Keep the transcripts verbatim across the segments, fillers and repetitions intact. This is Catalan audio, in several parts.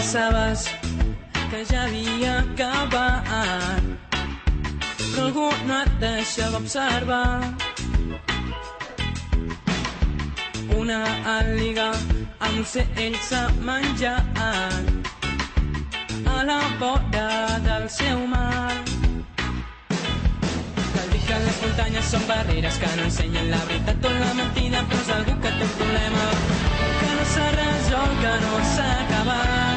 pensaves que ja havia acabat, però algú no et deixava observar. Una àliga amb ocells s'ha menjat a la vora del seu mar. Cal dir que les muntanyes són barreres que no ensenyen la veritat o la mentida, però és algú que té un problema que no s'ha resolt, que no s'ha acabat.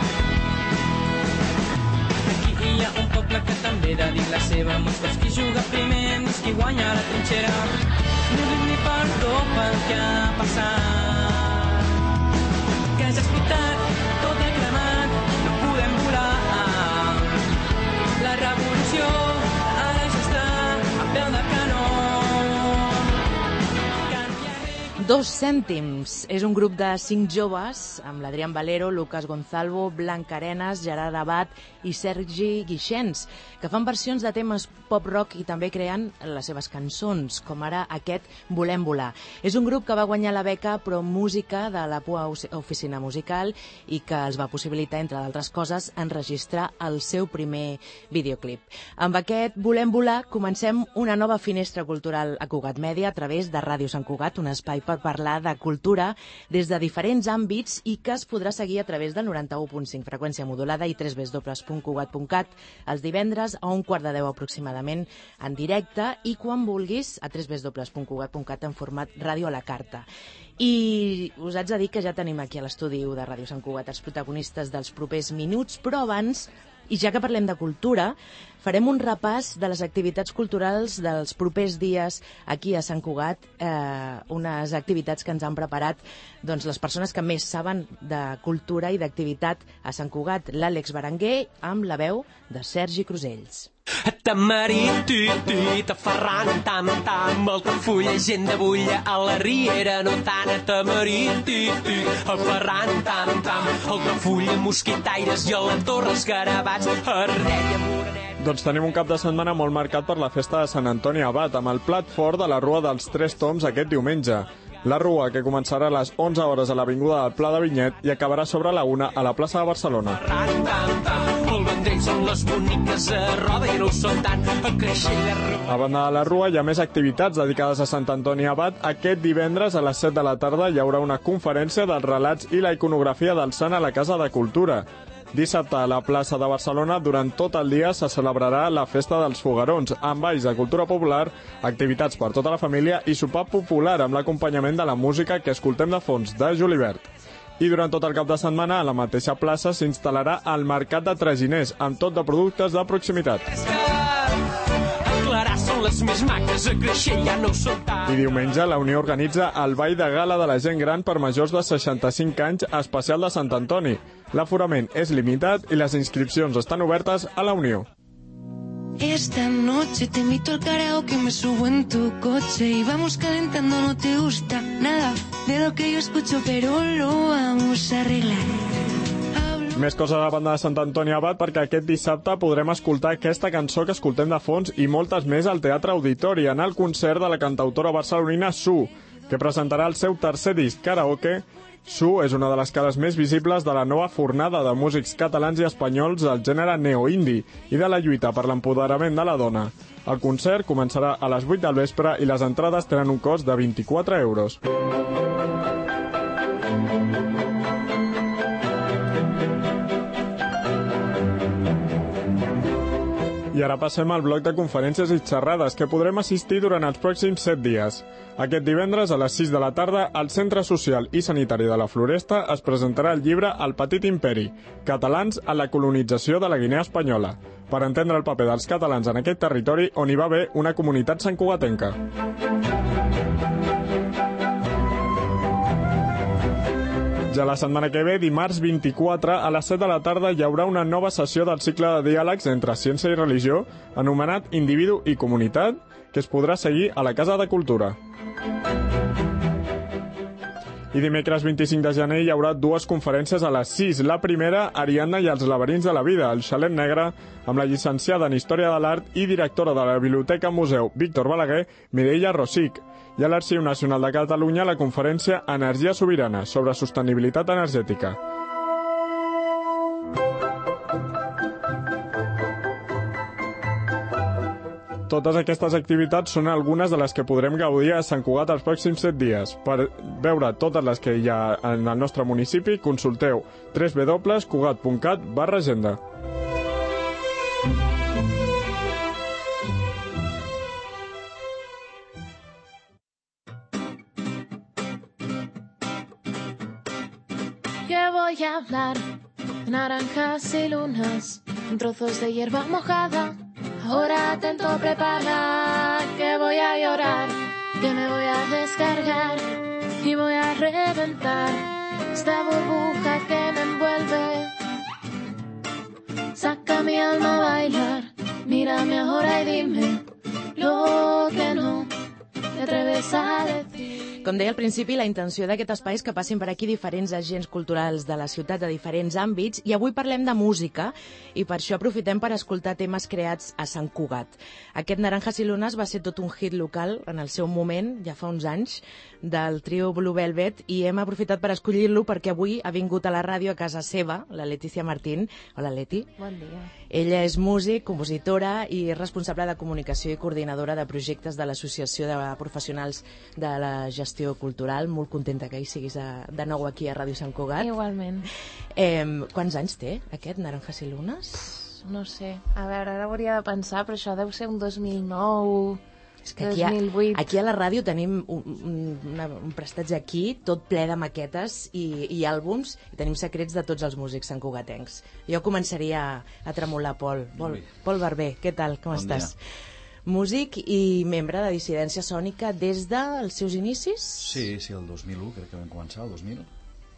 Aquí hi ha un poble que també dedica la seva mostra. Qui juga primer no és qui guanya la trinxera. Ni oblit ni perdó pel que ha passat. Que ja ha explotat, tot ha cremat, no podem volar. La revolució ara ja està a peu de canó. Dos cèntims és un grup de cinc joves amb l'Adrián Valero, Lucas Gonzalvo, Blanca Arenas, Gerard Abad i Sergi Guixens, que fan versions de temes pop-rock i també creen les seves cançons, com ara aquest Volem volar. És un grup que va guanyar la beca Pro Música de la P U A Oficina Musical i que els va possibilitar, entre d'altres coses, enregistrar el seu primer videoclip. Amb aquest Volem volar comencem una nova finestra cultural a Cugat Mèdia a través de Ràdio Sant Cugat, un espai per parlar de cultura des de diferents àmbits i que es podrà seguir a través del noranta-u punt cinc freqüència modulada i w w w punt cugat punt cat els divendres a un quart de deu aproximadament en directe i quan vulguis a w w w punt cugat punt cat en format ràdio a la carta. I us haig de dir que ja tenim aquí a l'estudi de Ràdio Sant Cugat els protagonistes dels propers minuts, però abans, i ja que parlem de cultura, farem un repàs de les activitats culturals dels propers dies aquí a Sant Cugat, eh, unes activitats que ens han preparat doncs, les persones que més saben de cultura i d'activitat a Sant Cugat, l'Àlex Berenguer, amb la veu de Sergi Crusells. Tamarit, tuit, aferrant, tam, tam, Altafulla, gent de bulla, a la riera, no tant, tamarit, tuit, aferrant, tam, tam, Altafulla, mosquitaires i a la torre, escarabats, Ardella, Morenet. Doncs tenim un cap de setmana molt marcat per la festa de Sant Antoni Abat, amb el plat fort de la Rua dels Tres Toms aquest diumenge. La Rua, que començarà a les onze hores a l'Avinguda del Pla de Vinyet i acabarà sobre la una a la plaça de Barcelona. A banda de la Rua hi ha més activitats dedicades a Sant Antoni Abat. Aquest divendres a les set de la tarda hi haurà una conferència dels relats i la iconografia del sant a la Casa de Cultura. Dissabte a la plaça de Barcelona, durant tot el dia, se celebrarà la Festa dels Foguerons, amb balls de cultura popular, activitats per tota la família i sopar popular amb l'acompanyament de la música que escoltem de fons de Julibert. I durant tot el cap de setmana, a la mateixa plaça s'instal·larà el Mercat de Traginers, amb tot de productes de proximitat. I diumenge la Unió organitza el Ball de Gala de la Gent Gran per majors de seixanta-cinc anys especial de Sant Antoni. L'aforament és limitat i les inscripcions estan obertes a la Unió. Esta noche te invito al karaoke, me subo en tu coche y vamos calentando, no te gusta nada de lo que yo escucho, pero lo vamos a arreglar. Més coses a la banda de Sant Antoni Abat, perquè aquest dissabte podrem escoltar aquesta cançó que escoltem de fons i moltes més al Teatre Auditori en el concert de la cantautora barcelonina Su, que presentarà el seu tercer disc, Karaoke. Su és una de les cares més visibles de la nova fornada de músics catalans i espanyols del gènere neo-indie i de la lluita per l'empoderament de la dona. El concert començarà a les vuit del vespre i les entrades tenen un cost de vint-i-quatre euros. I ara passem al bloc de conferències i xerrades que podrem assistir durant els pròxims set dies. Aquest divendres a les sis de la tarda al Centre Social i Sanitari de la Floresta es presentarà el llibre El petit imperi, catalans a la colonització de la Guinea Espanyola, per entendre el paper dels catalans en aquest territori on hi va haver una comunitat santcugatenca. Ja la setmana que ve, dimarts vint-i-quatre, a les set de la tarda hi haurà una nova sessió del cicle de diàlegs entre ciència i religió, anomenat Individu i Comunitat, que es podrà seguir a la Casa de Cultura. I dimecres vint-i-cinc de gener hi haurà dues conferències a les sis. La primera, Ariadna i els laberints de la vida, el xalet negre, amb la llicenciada en Història de l'Art i directora de la Biblioteca Museu Víctor Balaguer, Mireia Rosic. I a l'Arxiu Nacional de Catalunya la conferència Energia Sobirana, sobre sostenibilitat energètica. Totes aquestes activitats són algunes de les que podrem gaudir a Sant Cugat els pròxims set dies. Per veure totes les que hi ha en el nostre municipi, consulteu w w w punt cugat punt cat barra agenda. Que voy a hablar de naranjas y lunas, en trozos de hierba mojada. Ahora atento, prepara, que voy a llorar, que me voy a descargar y voy a reventar esta burbuja que me envuelve. Saca mi alma a bailar, mírame ahora y dime lo que no te atreves a decir. Com deia al principi, la intenció d'aquest espai és que passin per aquí diferents agents culturals de la ciutat de diferents àmbits, i avui parlem de música, i per això aprofitem per escoltar temes creats a Sant Cugat. Aquest Naranjas i Lunas va ser tot un hit local en el seu moment, ja fa uns anys, del trio Blue Velvet, i hem aprofitat per escollir-lo perquè avui ha vingut a la ràdio a casa seva, la Letícia Martín. Hola, Leti. Bon dia. Ella és músic, compositora i responsable de comunicació i coordinadora de projectes de l'Associació de Professionals de la Gestió Cultural. Molt contenta que hi siguis a, de nou aquí a Ràdio Sant Cugat. Igualment. Eh, quants anys té aquest Naranjas i Lunas? No sé, a veure, ara hauria de pensar, però això deu ser un dos mil nou... És que aquí a, dos mil vuit. aquí a la ràdio tenim un, un, una, un prestatge aquí, tot ple de maquetes i, i àlbums, i tenim secrets de tots els músics santcugatencs. Jo començaria a, a tremolar, Pol. Pol, Pol Barber, què tal? Com bon estàs? Dia. Músic i membre de Dissidència Sònica des dels seus inicis? Sí, sí, el dos mil u crec que vam començar, el dos mil,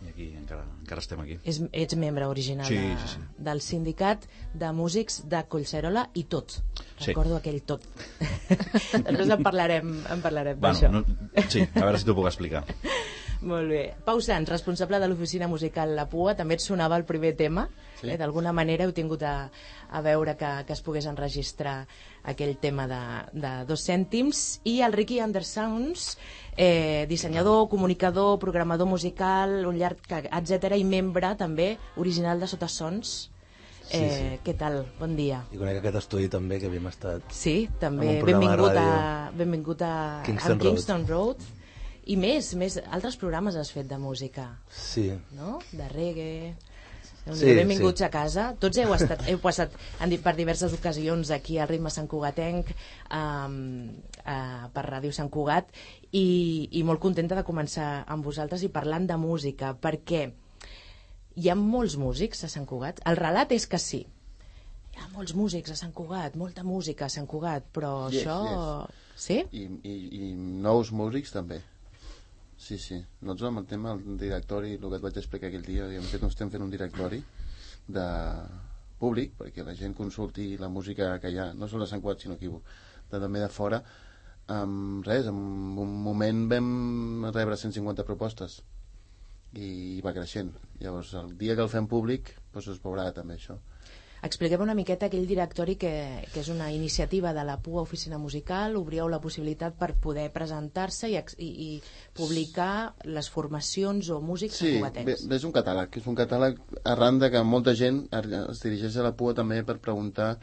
i aquí encara, encara estem aquí. És, ets membre original sí, de, sí, sí. del sindicat de músics de Collserola i tot. Sí. Recordo aquell tot. Després en parlarem, en parlarem bueno, d'això. No, sí, a veure si t'ho puc explicar. Molt bé. Pau Sans, responsable de l'oficina musical La Pua, també et sonava el primer tema. Sí. Eh, D'alguna manera heu tingut a, a veure que, que es pogués enregistrar aquell tema de, de dos cèntims. I el Ricky Undersounds, eh, dissenyador, comunicador, programador musical, un llarg, etcètera, i membre també original de Sotasons. Eh, sí, sí. Què tal? Bon dia. I conec aquest estudi també, que havíem estat... Sí, també. En Benvingut a, benvingut a Kingston, a Kingston Road. Road. I més, més, altres programes has fet de música. Sí. No? De reggae. Sí, benvinguts sí. a casa. Tots heu, estat, heu passat en, per diverses ocasions aquí al Ritme Sant Cugatenc, um, uh, per Ràdio Sant Cugat, i, i molt contenta de començar amb vosaltres i parlant de música, perquè hi ha molts músics a Sant Cugat. El relat és que sí. Hi ha molts músics a Sant Cugat, molta música a Sant Cugat, però yes, això... Yes. Sí? I, i, I nous músics també. Sí, sí. Nosaltres amb el tema del directori, el que et vaig explicar aquell dia, hem fet, estem fent un directori de públic, perquè la gent consulti la música que hi ha, no sols a Sant Cugat, sinó aquí, de, també de fora. Um, res, en un moment vam rebre cent cinquanta propostes i va creixent. Llavors, el dia que el fem públic, doncs es veurà també això. Expliquem una miqueta aquell directori que, que és una iniciativa de la Pua Oficina Musical. Obrieu la possibilitat per poder presentar-se i, i, i publicar les formacions o músics sí, cugatencs. Sí, és un catàleg. És un catàleg arran de que molta gent es dirigeix a la Pua també per preguntar,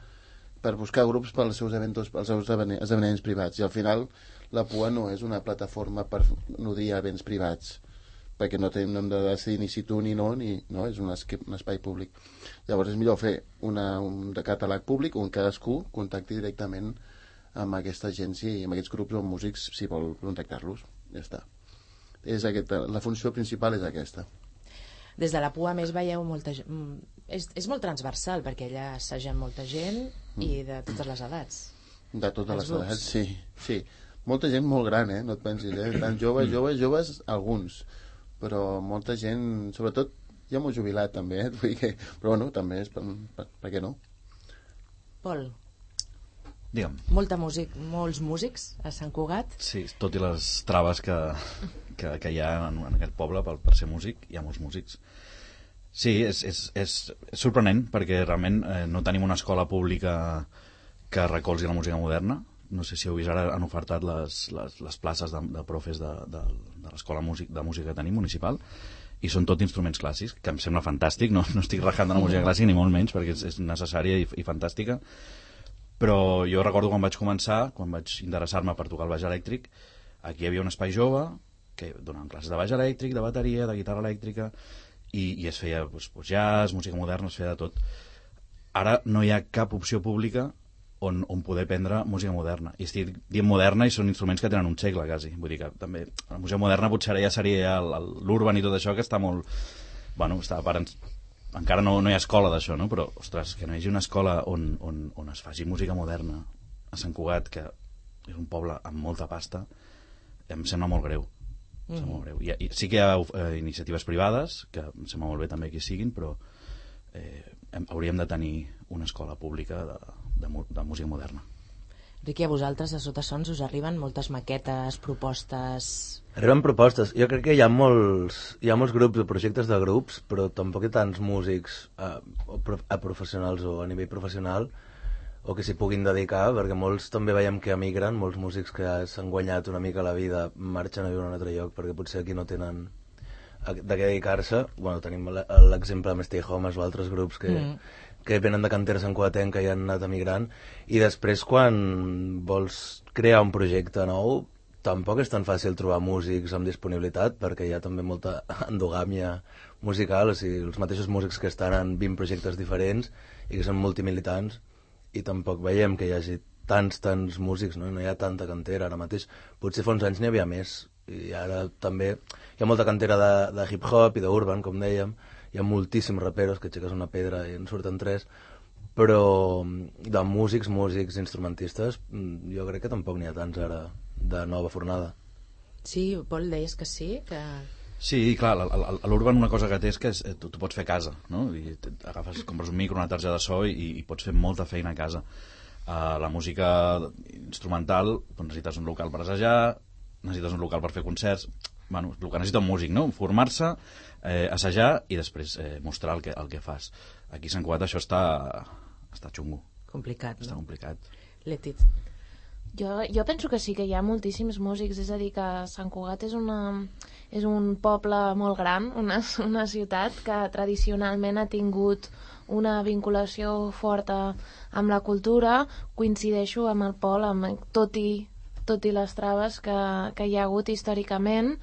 per buscar grups pels seus, eventos, pels seus esdeveniments privats. I al final la Pua no és una plataforma per nodrir events privats, perquè no, ten, no hem de decidir ni si tu ni no, ni, no és un, espai, un espai públic. Llavors és millor fer una, un catàleg públic on cadascú contacti directament amb aquesta agència i amb aquests grups o músics si vol contactar-los. Ja està. És aquesta, la funció principal és aquesta. Des de la Pua, més, veieu molta gent... És, és molt transversal, perquè allà assagen molta gent mm. i de totes les edats. De totes les grups. Edats, sí. sí. Molta gent molt gran, eh? No et pensis, eh? Tant joves, joves, joves, alguns. Però molta gent, sobretot ja m'ho jubilat també, eh? Vull dir que, però bueno, també és per, per, per què no? Pol, digue'm. Molta músic, molts músics a Sant Cugat. Sí, tot i les traves que, que, que hi ha en, en aquest poble per, per ser músic, hi ha molts músics. Sí, és, és, és, és sorprenent perquè realment eh, no tenim una escola pública que recolzi la música moderna. No sé si heu vist, ara han ofertat les, les, les places de, de profes de, de, de l'escola músic, de música que tenim municipal, i són tot instruments clàssics, que em sembla fantàstic. No, no estic rajant de la música clàssica ni molt menys, perquè és, és necessària i, i fantàstica, Però jo recordo quan vaig començar, quan vaig interessar-me per tocar el baix elèctric, aquí hi havia un espai jove que donaven classes de baix elèctric, de bateria, de guitarra elèctrica, i, i es feia doncs, jazz, música moderna, es feia de tot. Ara no hi ha cap opció pública on, on poder aprendre música moderna. I estic dient moderna i són instruments que tenen un segle, quasi. Vull dir que també la música moderna potser ara ja seria l'urban i tot això, que està molt... Bueno, està per... Encara no, no hi ha escola d'això, no? Però, ostres, que no hi hagi una escola on, on, on es faci música moderna a Sant Cugat, que és un poble amb molta pasta, em sembla molt greu. Mm. Em sembla molt greu. I, i, sí que hi ha eh, iniciatives privades, que em sembla molt bé també que hi siguin, però eh, hem, hauríem de tenir una escola pública de, de, de música moderna. Riqui, a vosaltres de Sota Sons us arriben moltes maquetes, propostes... Arriben propostes. Jo crec que hi ha molts, hi ha molts grups o projectes de grups, però tampoc hi ha tants músics a, a professionals o a nivell professional o que s'hi puguin dedicar, perquè molts també veiem que emigren, molts músics que s'han guanyat una mica la vida marxen a viure a un altre lloc perquè potser aquí no tenen de què dedicar-se. Bueno, tenim l'exemple amb Stay Homes o altres grups que... Mm. que venen de cantera santcugatenca i han anat emigrant, i després quan vols crear un projecte nou tampoc és tan fàcil trobar músics amb disponibilitat, perquè hi ha també molta endogàmia musical, o sigui, els mateixos músics que estan en vint projectes diferents i que són multimilitants, i tampoc veiem que hi hagi tants, tants músics, no? No hi ha tanta cantera ara mateix. Potser fa uns anys n'hi havia més, i ara també hi ha molta cantera de, de hip-hop i d'urban, com dèiem. Hi ha moltíssims raperos que aixeques una pedra i en surten tres, però de músics, músics, instrumentistes, jo crec que tampoc n'hi ha tants ara de nova fornada. Sí, Pol, deies que sí? Que... Sí, clar, a l'Urban una cosa que té és que és, tu, tu pots fer a casa, no? I agafes, compres un micro, una targeta de so i, i pots fer molta feina a casa. Uh, la música instrumental, doncs necessites un local per assajar, necessites un local per fer concerts... Bueno, el que necessita un músic, no? Formar-se, eh, assajar i després eh, mostrar el que, el que fas. Aquí a Sant Cugat això està, està xungo. Complicat, està no? complicat. Letit. Jo, jo penso que sí que hi ha moltíssims músics, és a dir, que Sant Cugat és, una, és un poble molt gran, una, una ciutat que tradicionalment ha tingut una vinculació forta amb la cultura. Coincideixo amb el Pol, amb, tot i tot i les traves que, que hi ha hagut històricament,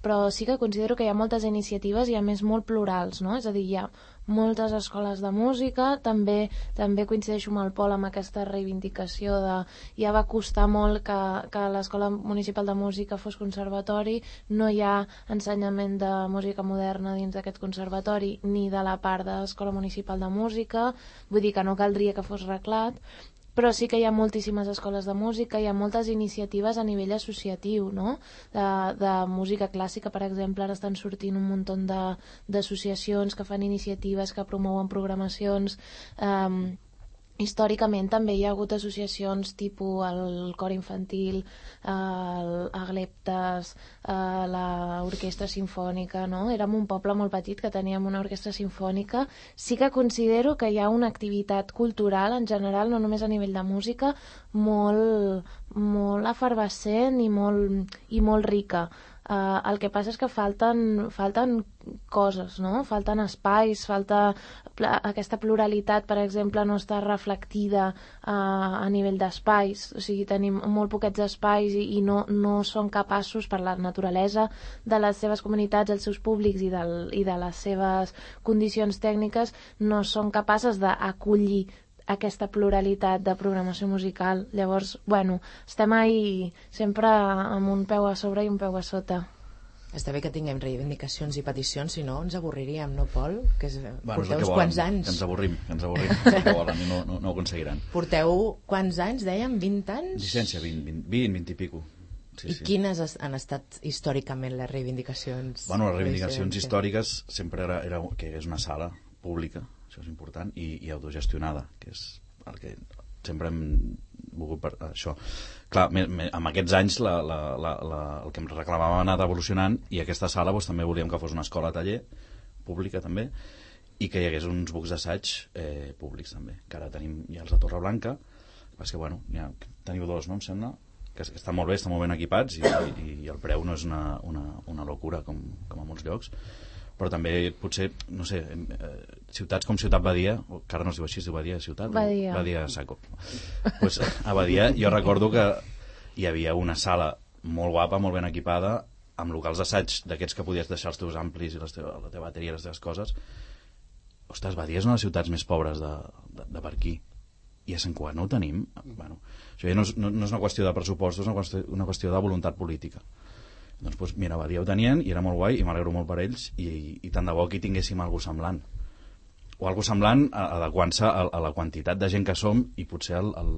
però sí que considero que hi ha moltes iniciatives i a més molt plurals, no? És a dir, hi ha moltes escoles de música, també també coincideixo amb el Pol amb aquesta reivindicació de... Ja va costar molt que, que l'Escola Municipal de Música fos conservatori, no hi ha ensenyament de música moderna dins d'aquest conservatori ni de la part de l'Escola Municipal de Música, vull dir que no caldria que fos reglat, però sí que hi ha moltíssimes escoles de música, hi ha moltes iniciatives a nivell associatiu, no? De, de música clàssica, per exemple, ara estan sortint un munt d'associacions que fan iniciatives, que promouen programacions. Um, històricament també hi ha hagut associacions tipus el cor infantil, el Agleptes, l'orquestra sinfònica, no? Érem un poble molt petit que teníem una orquestra sinfònica. Sí que considero que hi ha una activitat cultural en general, no només a nivell de música, molt, molt efervescent i molt, i molt rica. Uh, el que passa és que falten, falten coses, no? Falten espais, falta pla, aquesta pluralitat, per exemple, no està reflectida uh, a nivell d'espais, o sigui, tenim molt poquets espais i, i no, no són capaços, per la naturalesa de les seves comunitats, els seus públics i, del, i de les seves condicions tècniques, no són capaces d'acollir aquesta pluralitat de programació musical. Llavors, bueno, estem ahí sempre amb un peu a sobre i un peu a sota. Està bé que tinguem reivindicacions i peticions, si no ens avorriríem, no, Pol? Que és, bueno, porteu uns quants anys. Que ens avorrim, que ens avorrim, que volen i no, no, no ho aconseguiran. Porteu quants anys, dèiem? vint anys? Llicència, vint, vint, vint, vint i pico. Sí, I sí. quines han estat històricament les reivindicacions? Bueno, les reivindicacions històriques sempre era, era que és una sala pública, això és important, i, i autogestionada, que és el que sempre hem volgut per això. Clar, me, me, amb aquests anys la, la, la, la, el que em reclamàvem ha anat evolucionant, i aquesta sala doncs, també volíem que fos una escola-taller pública també, i que hi hagués uns bucs d'assaig eh, públics també, que ara tenim ja els de Torreblanca, és que bueno, ja, teniu dos, no em sembla, que estan molt bé, estan molt ben equipats, i, i, i el preu no és una, una, una locura com, com a molts llocs, però també potser, no sé, eh, ciutats com Ciutat Badia, que ara no es diu així, es diu Badia, Ciutat? Badia. Badia Saco. Pues, a Badia jo recordo que hi havia una sala molt guapa, molt ben equipada, amb locals d'assaig d'aquests que podies deixar els teus amplis i les teva, la teva bateria i les teves coses. Ostres, Badia és una de les ciutats més pobres de, de, de per aquí. I a Sant Cugat no ho tenim. Bueno, això ja no és, no, no és una qüestió de pressupostos, és una qüestió, una qüestió de voluntat política. Doncs, pues, mira, Badia ho tenien i era molt guai i m'alegro molt per ells i, i tant de bo aquí tinguéssim alguna semblant o alguna semblant adequant-se a, a la quantitat de gent que som i potser el, el,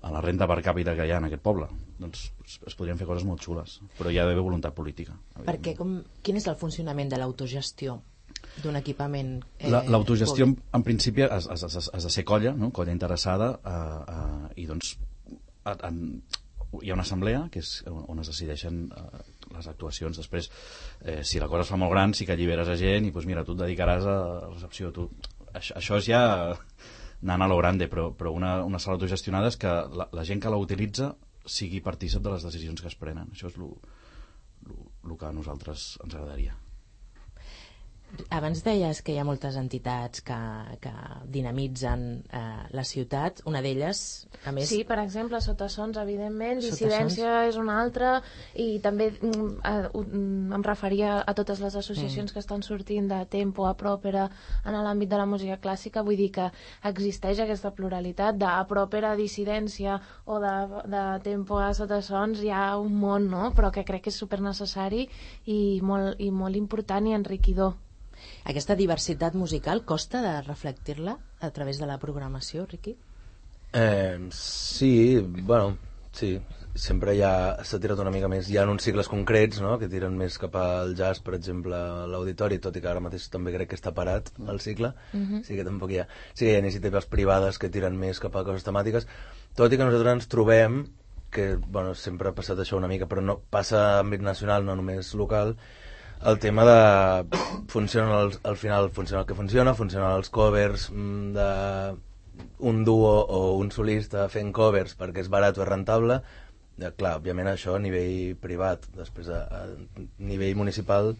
a la renta per càpita que hi ha en aquest poble. Doncs es, es podrien fer coses molt xules, però hi ha d'haver voluntat política. Perquè com, quin és el funcionament de l'autogestió d'un equipament eh, l'autogestió en, en principi has, has, has, has de ser colla, no? Colla interessada eh, eh, i doncs a, a, hi ha una assemblea que és on es decideixen eh, les actuacions. Després, eh, si la cosa es fa molt gran, sí que alliberes a gent i doncs mira, tu et dedicaràs a recepció. Tu... Això, això és ja anant a lo grande, però, però una, una sala autogestionada és que la, la gent que la utilitza sigui partícip de les decisions que es prenen. Això és el que a nosaltres ens agradaria. Abans deies que hi ha moltes entitats que, que dinamitzen eh, la ciutat. Una d'elles, a més... Sí, per exemple, Sotasons, evidentment, Sotasons. Dissidència és una altra, i també mm, eh, mm, em referia a totes les associacions mm. que estan sortint de Tempo a Pròpera en l'àmbit de la música clàssica. Vull dir que existeix aquesta pluralitat de a Pròpera a Dissidència o de, de Tempo a Sotasons. Hi ha un món, no? Però que crec que és supernecessari i molt, i molt important i enriquidor. Aquesta diversitat musical costa de reflectir-la a través de la programació, Riqui? Eh, sí, bueno, sí. Sempre hi ha, s'ha tirat una mica més. Hi ha uns cicles concrets, no?, que tiren més cap al jazz, per exemple, a l'auditori, tot i que ara mateix també crec que està parat el cicle. Uh-huh. Sí que tampoc hi ha. Sí que hi ha iniciatives privades que tiren més cap a coses temàtiques, tot i que nosaltres ens trobem que, bueno, sempre ha passat això una mica, però no passa a àmbit nacional, no només local, el tema de funciona el, al final funciona el que funciona, funcionen els covers de un duo o un solista fent covers perquè és barat o és rentable. Ja, clar, òbviament això a nivell privat, després a, a nivell municipal,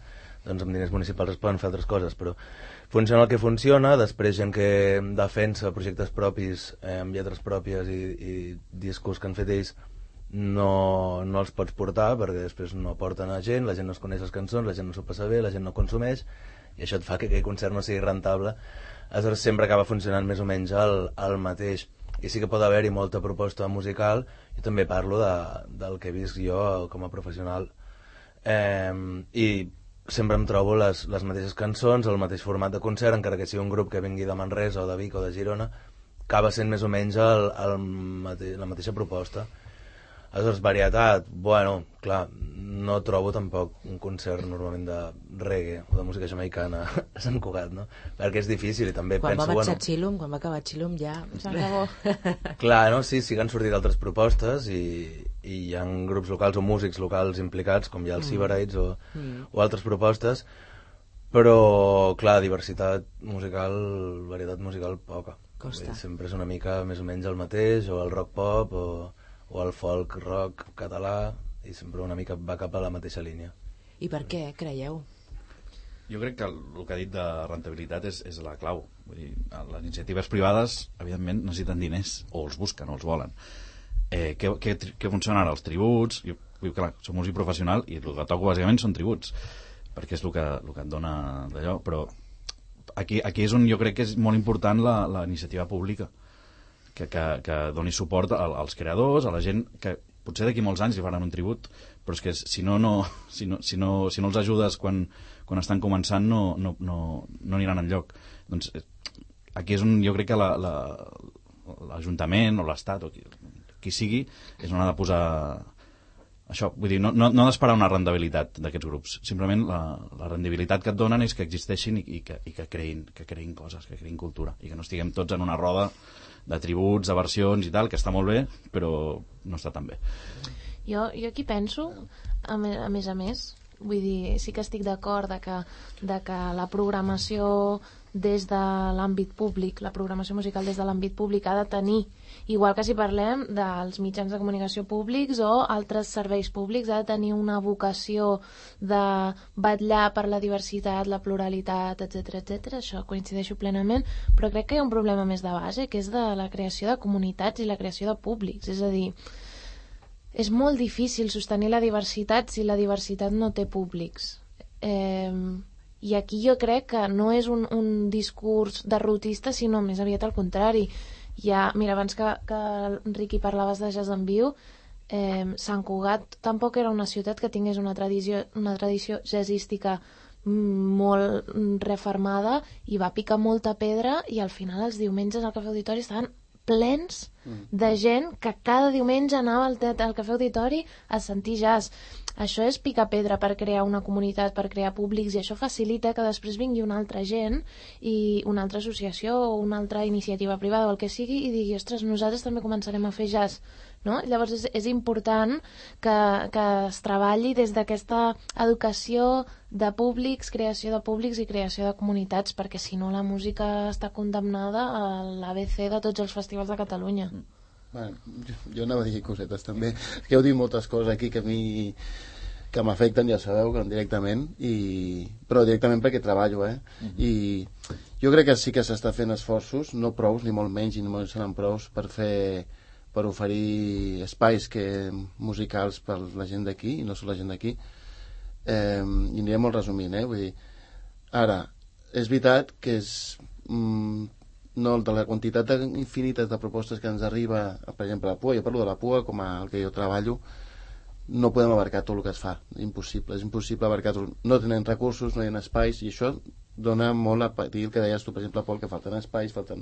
doncs amb diners municipals es poden fer altres coses, però funciona el que funciona. Després gent que defensa projectes propis eh, amb lletres pròpies i, i discos que han fet ells no, no els pots portar perquè després no porten a gent, la gent no es coneix les cançons, la gent no s'ho passa bé, la gent no consumeix i això et fa que aquell concert no sigui rentable. Aleshores sempre acaba funcionant més o menys el, el mateix, i sí que pot haver-hi molta proposta musical. Jo també parlo de, del que he vist jo com a professional eh, i sempre em trobo les, les mateixes cançons, el mateix format de concert, encara que sigui un grup que vingui de Manresa o de Vic o de Girona, acaba sent més o menys el, el mate, la mateixa proposta. Aleshores, varietat, bueno, clar, no trobo tampoc un concert normalment de reggae o de música jamaicana a Sant Cugat, no? Perquè és difícil i també quan penso... Va bueno, Chilum, quan va acabar Chilum ja... Clar, no? Sí, sí que han sortit altres propostes i, i hi ha grups locals o músics locals implicats, com hi ha els Sibarites o, mm. o altres propostes, però, clar, diversitat musical, varietat musical, poca. Costa. Sempre és una mica més o menys el mateix, o el rock pop, o... o el folk rock català, i sempre una mica va cap a la mateixa línia. I per què, creieu? Jo crec que el, el que ha dit de rentabilitat és, és la clau. Vull dir, les iniciatives privades, evidentment, necessiten diners, o els busquen, o els volen. Eh, què, què, què funciona ara? Els tributs? Jo, clar, som músic professional i el que toco bàsicament són tributs, perquè és el que, el que et dona d'allò, però aquí, aquí és on jo crec que és molt important la, la iniciativa pública, que, que, que doni suport als creadors, a la gent que potser d'aquí molts anys li faran un tribut, però és que si no, no, si no, si no, si no els ajudes quan, quan estan començant no, no, no, no aniran enlloc. Doncs aquí és on jo crec que la, la, l'Ajuntament o l'Estat o qui, qui sigui és on ha de posar això. Vull dir, no, no, no ha d'esperar una rendibilitat d'aquests grups, simplement la, la rendibilitat que et donen és que existeixin i, i, que, i que, creïn, que creïn coses, que creïn cultura, i que no estiguem tots en una roda de tributs, de versions i tal, que està molt bé, però no està tan bé. Jo, jo aquí penso, a més, a més a més, vull dir, sí que estic d'acord de que, de que la programació des de l'àmbit públic, la programació musical des de l'àmbit públic ha de tenir, igual que si parlem dels mitjans de comunicació públics o altres serveis públics, ha de tenir una vocació de vetllar per la diversitat, la pluralitat, etcètera, etcètera. Això coincideixo plenament, però crec que hi ha un problema més de base, que és de la creació de comunitats i la creació de públics. És a dir, és molt difícil sostenir la diversitat si la diversitat no té públics. Eh, I aquí jo crec que no és un, un discurs derrotista, sinó més aviat al contrari. Ja, mira, abans que, que Riqui parlaves de jazz en viu, eh, Sant Cugat tampoc era una ciutat que tingués una tradició, una tradició jazzística molt refermada, i va picar molta pedra, i al final els diumenges al Cafè Auditori estaven plens de gent que cada diumenge anava al, al Cafè Auditori a sentir jazz. Això és picar pedra per crear una comunitat, per crear públics, i això facilita que després vingui una altra gent i una altra associació o una altra iniciativa privada o el que sigui i digui, ostres, nosaltres també començarem a fer jazz, no? Llavors és, és important que, que es treballi des d'aquesta educació de públics, creació de públics i creació de comunitats, perquè si no la música està condemnada a l'A B C de tots els festivals de Catalunya. Bueno, jo, jo anava a dir cosetes també, que heu dit moltes coses aquí que a mi que m'afecten, ja sabeu, que directament, i... però directament perquè treballo, eh? Uh-huh. I jo crec que sí que s'està fent esforços, no prous, ni molt menys, ni molt seran prous, per fer, per oferir espais que, musicals per la gent d'aquí, i no sol la gent d'aquí, eh, i aniré molt resumint, eh? Vull dir, ara, és veritat que és... Mm, no, de la quantitat infinita de propostes que ens arriba, per exemple, a la P U A, jo parlo de la P U A com a el que jo treballo, no podem abarcar tot el que es fa, impossible, és impossible abarcar tot, no tenen recursos, no hi ha espais, i això dona molt a patir el que deies tu, per exemple, Pol, que falten espais, falten,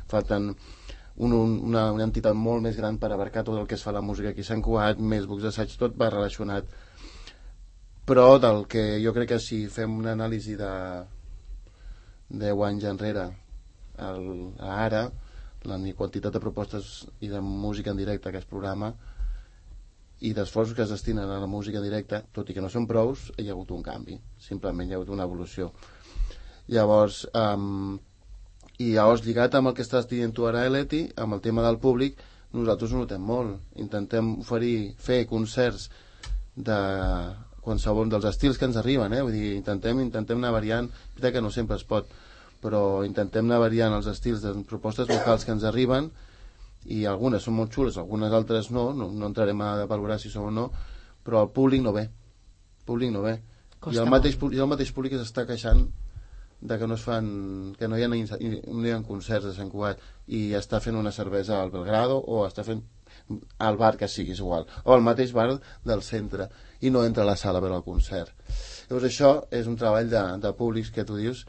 falten un, un, una, una entitat molt més gran per abarcar tot el que es fa a la música aquí a Sant Cugat, més bucs d'assaig, tot va relacionat, però del que jo crec que si fem una anàlisi de deu anys enrere El, ara la quantitat de propostes i de música en directe que es programa i d'esforços que es destinen a la música en directe, tot i que no són prous, hi ha hagut un canvi, simplement hi ha hagut una evolució. Llavors um, i llavors lligat amb el que estàs dient tu ara, Leti, amb el tema del públic, nosaltres ho notem molt, intentem oferir, fer concerts de qualsevol dels estils que ens arriben, eh? Vull dir, intentem, intentem anar variant, que no sempre es pot, però intentem anar variant els estils de propostes vocals que ens arriben, i algunes són molt xules, algunes altres no, no, no entrarem a valorar si són o no, però el públic no ve, el públic no ve. I el, mateix, I el mateix públic s'està queixant de que no es fan, que no hi ha, no hi ha concerts a Sant Cugat, i està fent una cervesa al Belgrado, o està fent al bar que sigui, és igual, o al mateix bar del centre, i no entra a la sala a veure el concert. Llavors això és un treball de, de públics que tu dius,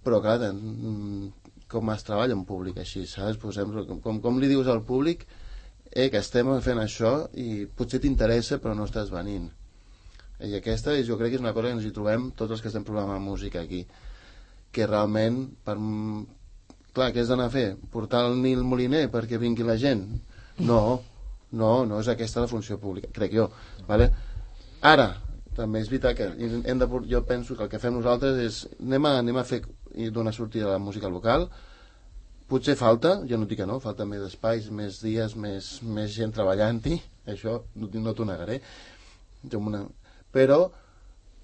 però clar, com es treballa en públic així, saps? Posem, com, com li dius al públic eh, que estem fent això i potser t'interessa però no estàs venint, i aquesta és, jo crec que és una cosa que ens hi trobem tots els que estem programant música aquí, que realment per... clar, què has d'anar a fer? Portar el Nil Moliner perquè vingui la gent? No, no, no és aquesta la funció pública, crec jo, vale? Ara també és veritat que hem de, jo penso que el que fem nosaltres és anem a, anem a fer i donar sortida a la música local, potser falta, jo no dic que no, falta més espais, més dies, més, més gent treballant-hi, això no, no t'ho negaré, però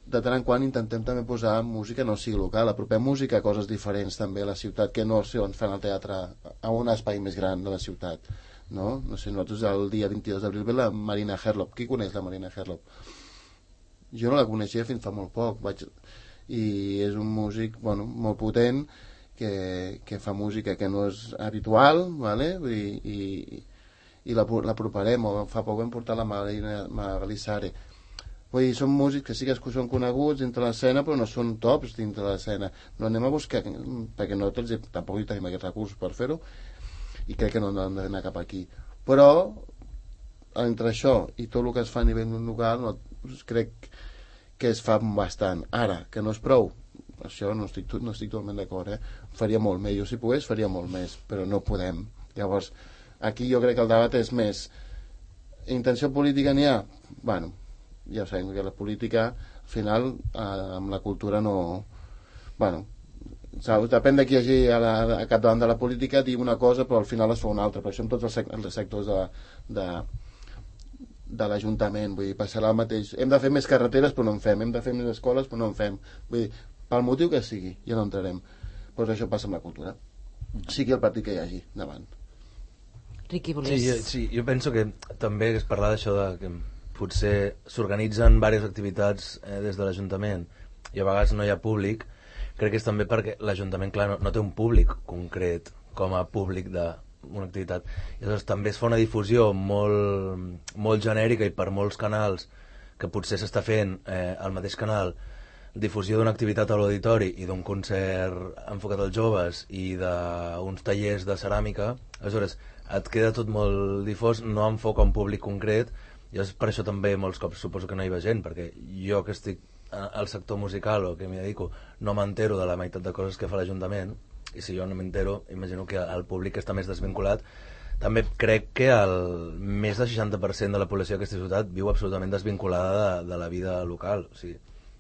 de tant en quant intentem també posar música no sigui local, apropem música a coses diferents també a la ciutat, que no si ens fan al teatre a un espai més gran de la ciutat, no? No sé, nosaltres el dia vint-i-dos d'abril ve la Marina Herlop. Qui coneix la Marina Herlop? Jo no la coneixia fins fa molt poc, vaig... i és un músic, bueno, molt potent, que, que fa música que no és habitual, vale? I, i, i l'aproparem, o fa poc vam portar la Marina Magalissare. Vull dir, són músics que sí que són coneguts dintre l'escena, però no són tops dintre l'escena. No anem a buscar, perquè no tots, tampoc hi tenim aquests recursos per fer-ho, i crec que no hem d'anar cap aquí. Però, entre això i tot el que es fa a nivell local, no, crec que es fa bastant. Ara, que no és prou, això no estic, no estic totalment d'acord, eh? Faria molt més, jo si pogués faria molt més, però no podem. Llavors, aquí jo crec que el debat és més intenció política n'hi ha? Bueno, ja sabem que la política al final eh, amb la cultura no... Bueno, saps? Depèn de qui hi hagi a, la, a capdavant de la política, dir una cosa però al final es fa una altra, per això en tots els, sec els sectors de, de, de l'Ajuntament, vull dir, passarà el mateix, hem de fer més carreteres però no en fem, hem de fer més escoles però no en fem, vull dir, pel motiu que sigui, ja no entrarem, doncs això passa amb la cultura, sigui el partit que hi hagi davant. Riqui, volies... Sí, jo, sí, jo penso que també es parla d'això de que potser s'organitzen diverses activitats eh, des de l'Ajuntament i a vegades no hi ha públic. Crec que és també perquè l'Ajuntament, clar, no, no té un públic concret com a públic d'una activitat. I llavors també es fa una difusió molt, molt genèrica i per molts canals que potser s'està fent eh, al mateix canal, difusió d'una activitat a l'auditori i d'un concert enfocat als joves i d'uns tallers de ceràmica. Aleshores, et queda tot molt difós, no enfoca un públic concret, i per això també molts cops suposo que no hi va gent, perquè jo que estic al sector musical o que m'hi dedico no m'entero de la meitat de coses que fa l'Ajuntament, i si jo no m'entero imagino que el públic està més desvinculat. També crec que el més del seixanta per cent de la població d'aquesta ciutat viu absolutament desvinculada de, de la vida local, o sigui,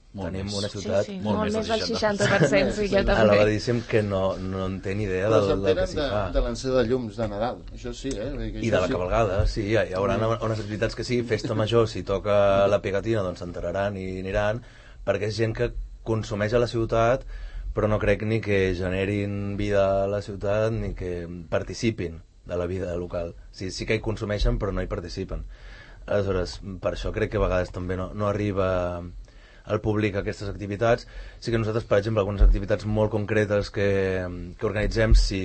molt tenim més. Una ciutat sí, sí, molt, molt més del seixanta per cent, sí, jo també. Elevadíssim, que no, no en té ni idea del, del que s'hi fa. De l'encesa de llums de Nadal, això sí, eh? Això I de la sí. cabalgada, sí, hi haurà mm. unes activitats que sí, festa major, si toca la pegatina doncs s'enteraran i aniran, perquè és gent que consumeix a la ciutat, però no crec ni que generin vida a la ciutat ni que participin de la vida local. Sí, sí que hi consumeixen, però no hi participen. Aleshores, per això crec que a vegades també no, no arriba al públic a aquestes activitats. Sí que nosaltres, per exemple, algunes activitats molt concretes que, que organitzem, si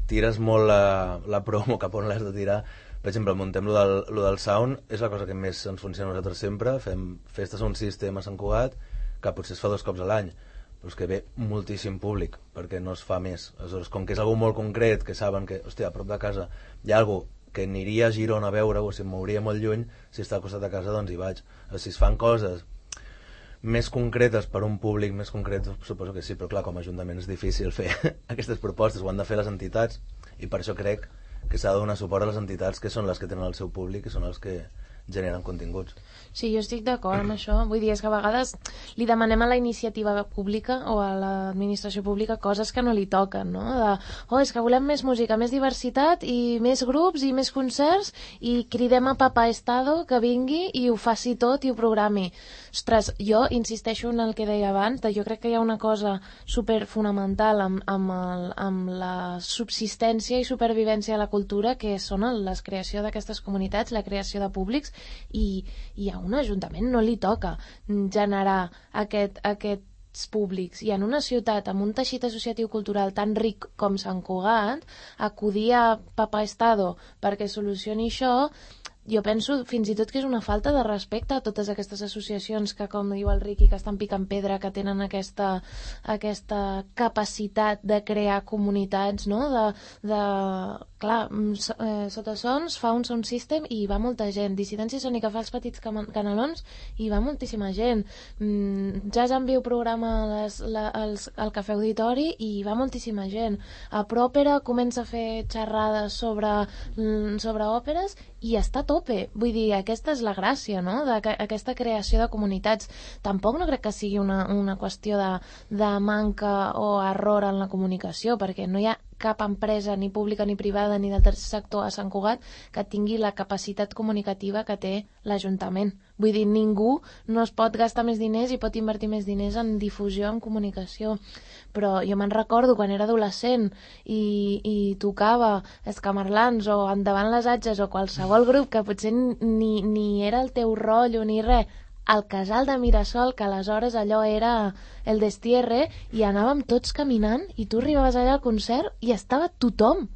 tires molt la, la promo cap on l'has de tirar, per exemple, muntem lo del, lo del sound, és la cosa que més ens funciona a nosaltres sempre. Fem festes a un sistema a Sant Cugat, que potser es fa dos cops a l'any, però és que ve moltíssim públic, perquè no es fa més. Aleshores, com que és algo molt concret, que saben que, hòstia, a prop de casa hi ha algo que aniria a Girona a veure, o si em mouria molt lluny, si està al costat de casa, doncs hi vaig. O si es fan coses més concretes per un públic més concret, suposo que sí, però clar, com a Ajuntament és difícil fer aquestes propostes, ho han de fer les entitats, i per això crec que s'ha de donar suport a les entitats que són les que tenen el seu públic i són els que generen continguts. Sí, jo estic d'acord amb això. Vull dir, és que a vegades li demanem a la iniciativa pública o a l'administració pública coses que no li toquen, no? De, oh, és que volem més música, més diversitat i més grups i més concerts i cridem a Papa Estado que vingui i ho faci tot i ho programi. Ostres, jo insisteixo en el que deia abans, de jo crec que hi ha una cosa super fonamental amb, amb, el, amb la subsistència i supervivència de la cultura, que són el, la creació d'aquestes comunitats, la creació de públics, i, i a un ajuntament no li toca generar aquest, aquests públics, i en una ciutat amb un teixit associatiu cultural tan ric com Sant Cugat, acudir a Papa Estado perquè solucioni això, jo penso fins i tot que és una falta de respecte a totes aquestes associacions que, com diu el Riqui, que estan picant pedra, que tenen aquesta, aquesta capacitat de crear comunitats, no? De, de, clar, eh, Sota Sons fa un sound system i hi va molta gent. Dissidència Sònica fa els petits canalons i hi va moltíssima gent. Mm, Jazz en Viu programa les, la, els, el Cafè Auditori i hi va moltíssima gent. A Pròpera comença a fer xerrades sobre, sobre òperes i està a tope. Vull dir, aquesta és la gràcia, no?, d'aquesta creació de comunitats. Tampoc no crec que sigui una, una qüestió de, de manca o error en la comunicació, perquè no hi ha cap empresa, ni pública ni privada, ni del tercer sector a Sant Cugat que tingui la capacitat comunicativa que té l'Ajuntament. Vull dir, ningú no es pot gastar més diners i pot invertir més diners en difusió, en comunicació. Però jo me'n recordo quan era adolescent i, i tocava Escamarlans o Endavant les Atges o qualsevol grup que potser ni, ni era el teu rotllo ni res, al casal de Mirasol, que aleshores allò era el destierre, i anàvem tots caminant i tu arribaves allà al concert i estava tothom.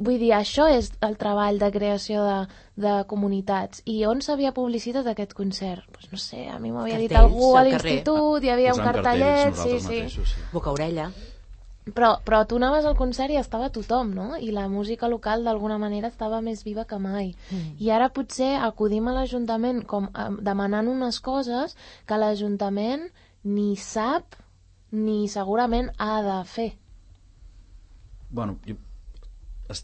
Vull dir, això és el treball de creació de, de comunitats. I on s'havia publicitat aquest concert? Pues no sé, a mi m'havia dit algú a l'institut, hi havia un cartellet, sí, sí. sí. Boca-orella. Però, però tu anaves al concert i estava tothom, no? I la música local d'alguna manera estava més viva que mai. Mm. I ara potser acudim a l'Ajuntament com eh, demanant unes coses que l'Ajuntament ni sap ni segurament ha de fer. Bueno, jo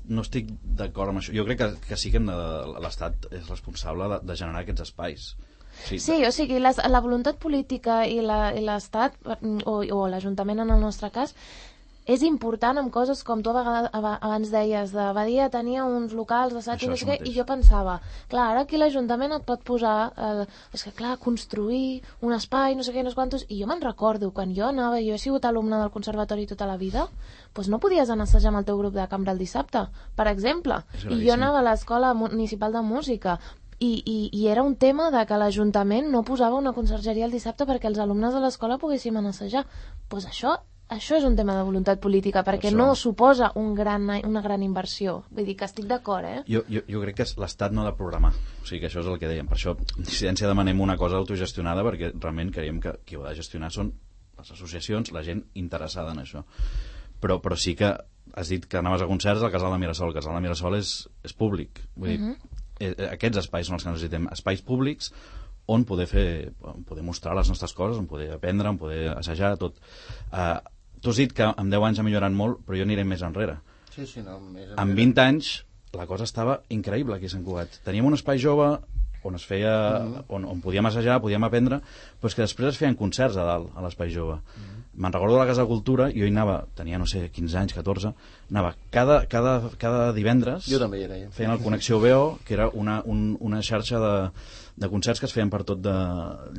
no estic d'acord amb això. Jo crec que, que sí que hem de, l'Estat és responsable de, de generar aquests espais. Sí, Sí, o sigui, les, la voluntat política i l'Estat, o, o l'Ajuntament en el nostre cas, és important amb coses com tu abans deies, de Badia tenia uns locals d'assaig i no sé què, i jo pensava, clar, ara aquí l'Ajuntament et pot posar, eh, és que clar, construir un espai, no sé què, no sé quantos, i jo me'n recordo, quan jo anava, jo he sigut alumne del conservatori tota la vida, doncs no podies anar a assajar amb el teu grup de cambra el dissabte, per exemple, i jo anava a l'Escola Municipal de Música, I, i, i era un tema de que l'Ajuntament no posava una consergeria el dissabte perquè els alumnes de l'escola poguéssim anar a assajar. Doncs això, això és un tema de voluntat política, perquè això no suposa un gran, una gran inversió. Vull dir que estic d'acord, eh? Jo, jo, jo crec que l'Estat no ha de programar. O sigui que això és el que dèiem. Per això, en dissidència, demanem una cosa autogestionada, perquè realment creiem que qui ho ha de gestionar són les associacions, la gent interessada en això. Però, però sí que has dit que anaves a concerts al Casal de Mirasol. El Casal de Mirasol és, és públic. Vull dir, uh-huh. Aquests espais són els que necessitem, espais públics on poder fer, on poder mostrar les nostres coses, on poder aprendre, on poder assajar, tot. Uh, tu has dit que amb deu anys ha millorat molt, però jo aniré més enrere. Sí, sí, no, més enrere. Amb vint anys la cosa estava increïble aquí a Sant Cugat. Teníem un espai jove on es feia, mm-hmm. on, on podíem assajar, podíem aprendre, però és que després es feien concerts a dalt, a l'espai jove. Mm-hmm. Me'n recordo de la Casa de Cultura, jo hi anava, tenia, no sé, quinze anys, catorze, anava cada, cada, cada divendres, jo també hi era, ja. Feien el Connexió B O, que era una, un, una xarxa de, de concerts que es feien per tot de,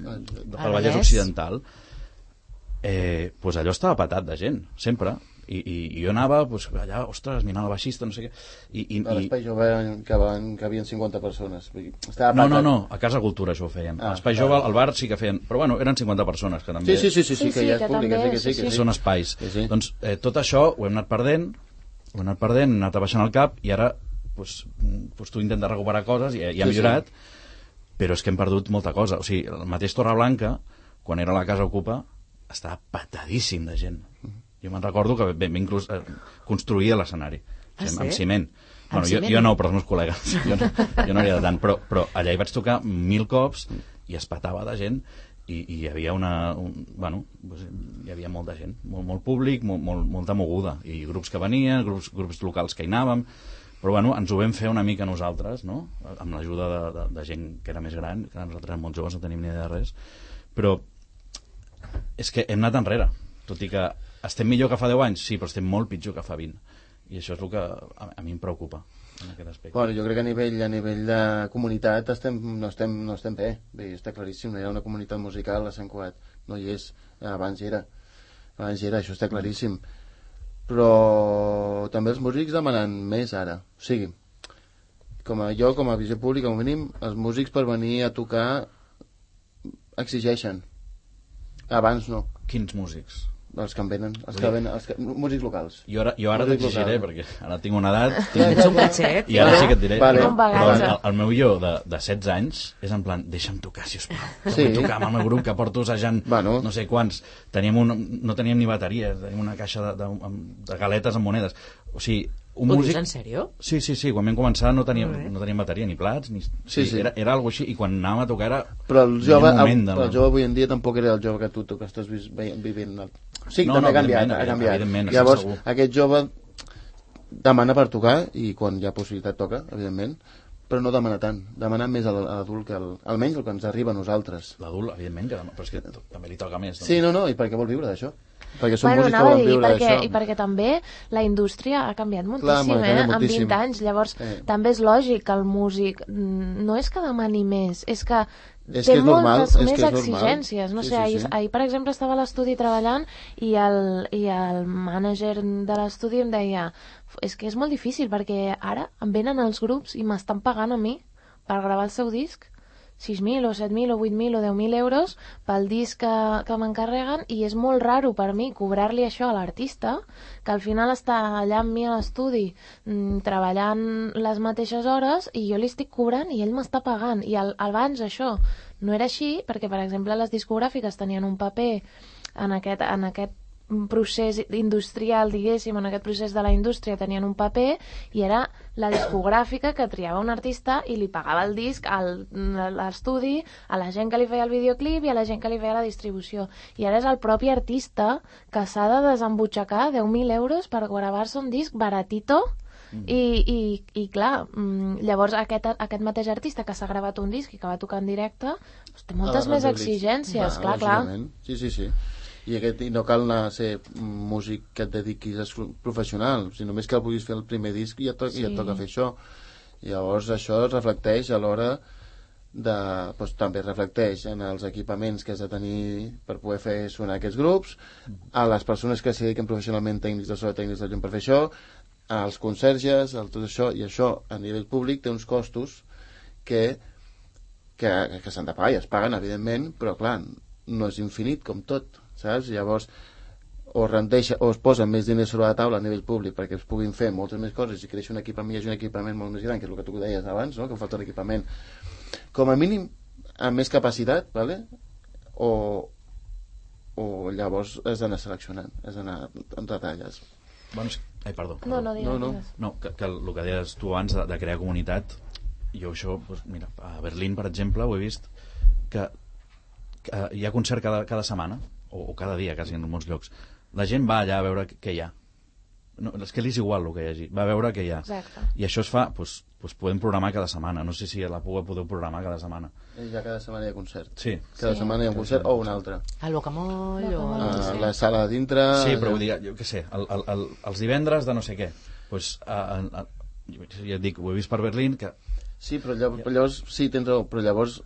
de, de pel Vallès Occidental. Eh, pues allò estava patat de gent, sempre. I, i, i jo anava, pues, allà, ostres, mirant el baixista, no sé què. I, i, a l'Espai Jove que van, que havien cinquanta persones. Estava no, no, no, a Casa Cultura això ho feien. Ah, a l'Espai Jove, al bar sí que feien, però bueno, eren cinquanta persones que també... Sí, sí, sí, sí, sí, sí que ja és públic, sí, que sí, que sí. Són espais. Sí, sí. Doncs eh, tot això ho hem anat perdent, ho hem anat perdent, hem anat abaixant el cap, i ara pues, pues, tu intentes recuperar coses i, i ha millorat, sí, sí. Però és que hem perdut molta cosa. O sigui, el mateix Torreblanca, quan era la Casa Ocupa, estava patadíssim de gent. Jo me'n recordo que vam inclús eh, construir l'escenari, ah, sí? amb ciment. Bueno, ciment? Jo, jo no, però els meus col·legues. Jo no, jo no havia de tant, però, però allà hi vaig tocar mil cops i es patava de gent i, i hi havia una... Un, bueno, hi havia molta gent, molt, molt públic, molt, molt, molta moguda, i grups que venien, grups, grups locals que hi anàvem, però bueno, ens ho vam fer una mica nosaltres, no? Amb l'ajuda de, de, de gent que era més gran, que nosaltres érem molt joves, no tenim ni idea de res, però és que hem anat enrere, tot i que estem millor que fa deu anys, sí, però estem molt pitjor que fa vint. I això és el que a, a mi em preocupa en aquest aspecte. Bueno, jo crec que a nivell, a nivell de comunitat estem, no, estem, no estem bé. Bé, està claríssim, no hi ha una comunitat musical a Sant Cugat. No hi és. Abans hi era. Abans hi era, això està claríssim. Però també els músics demanen més ara. O sigui, com a jo, com a visió pública, com a mínim, els músics per venir a tocar exigeixen. Abans no. Quins músics? Els que en venen, els que venen, els que, músics locals. Jo ara, jo ara t'exigiré, perquè ara tinc una edat... Ets un gatxet. I ara sí que et diré. Vale. Però, però el, el meu jo de, de setze anys és en plan, deixa'm tocar, sisplau. Sí. Vull tocar amb el meu grup, que porto assajant bueno. no sé quants. Teníem un, no teníem ni bateria, teníem una caixa de, de, de galetes amb monedes. O sigui, un Ho músic... dius en sèrio? Sí, sí, sí, quan vam començar no teníem, no teníem bateria ni plats, ni... Sí, sí. Era, era algo així, i quan anàvem a tocar era... Però el jove, el, el, el jove avui en dia tampoc era el jove que tu, tu que estàs vivint... El... Sí, no, també no, ha canviat, ha canviat. Llavors, aquest jove demana per tocar, i quan hi ha possibilitat toca, evidentment, però no demana tant, demana més a l'adult que el, almenys el que ens arriba a nosaltres. L'adult, evidentment, que demana, però és que també li toca més. Doncs. Sí, no, no, i perquè vol viure d'això. Perquè són bueno, músics que volen viure perquè, d'això. I perquè també la indústria ha canviat moltíssim, Clar, eh? moltíssim. En vint anys, llavors eh. també és lògic que el músic no és que demani més, és que és té que és normal, moltes és més que és exigències. No sí, sé, sí, ahir, sí. ahir, per exemple, estava a l'estudi treballant i el, i el mànager de l'estudi em deia és que és molt difícil perquè ara em venen els grups i m'estan pagant a mi per gravar el seu disc sis mil o set mil o vuit mil o deu mil euros pel disc que, que m'encarreguen, i és molt raro per mi cobrar-li això a l'artista, que al final està allà amb mi a l'estudi mmm, treballant les mateixes hores i jo li estic cobrant i ell m'està pagant. I al, abans això no era així, perquè per exemple les discogràfiques tenien un paper en aquest, en aquest procés industrial, diguéssim, en aquest procés de la indústria tenien un paper, i era la discogràfica que triava un artista i li pagava el disc al, a l'estudi, a la gent que li feia el videoclip i a la gent que li feia la distribució. I ara és el propi artista que s'ha de desembutxacar deu mil euros per gravar-se un disc baratito, Mm. I, i, I clar, llavors aquest, aquest mateix artista que s'ha gravat un disc i que va tocar en directe doncs té moltes ah, més exigències, va, clar, clar. Sí, sí, sí. I, aquest, I no cal anar a ser músic que et dediquis a ser professional, si només que el puguis fer el primer disc i ja, to sí. ja et toca fer això. Llavors això es reflecteix a l'hora de, doncs, també reflecteix en els equipaments que has de tenir per poder fer sonar aquests grups, a les persones que s'hi dediquen professionalment, tècnics de so, tècnics de llum per fer això, als conserges, a tot això, i això a nivell públic té uns costos que, que, que s'han de pagar i es paguen, evidentment, però clar, no és infinit com tot, saps? Llavors o, rendeixa, o es posen més diners sobre la taula a nivell públic perquè es puguin fer moltes més coses i creix un equipament, hi ha un equipament molt més gran, que és el que tu deies abans, no? Que falta un equipament com a mínim amb més capacitat, ¿vale? o, o llavors has d'anar seleccionant, has d'anar en detalles. Bueno, ai, perdó, perdó. No, no, digues. No, no. no que, que el que deies tu abans de, de crear comunitat, jo això, doncs, mira, a Berlín, per exemple, ho he vist que, que hi ha concert cada, cada setmana, o, o cada dia, quasi en molts llocs. La gent va allà a veure què hi ha. No, és que li és igual el que hi hagi, va a veure què hi ha. Exacte. I això es fa, doncs, doncs podem programar cada setmana. No sé si a la Puga podeu programar cada setmana. Ja cada setmana hi ha concert. Sí. Cada sí. setmana hi ha un concert o un altre. Al Bocamoll o... A la sala de dintre... Sí, però vull dir, jo què sé, el, el, el, els divendres de no sé què. Doncs, a, a, a, ja et dic, ho he vist per Berlín, que... Sí, però llavors, però llavors sí, tens raó, però llavors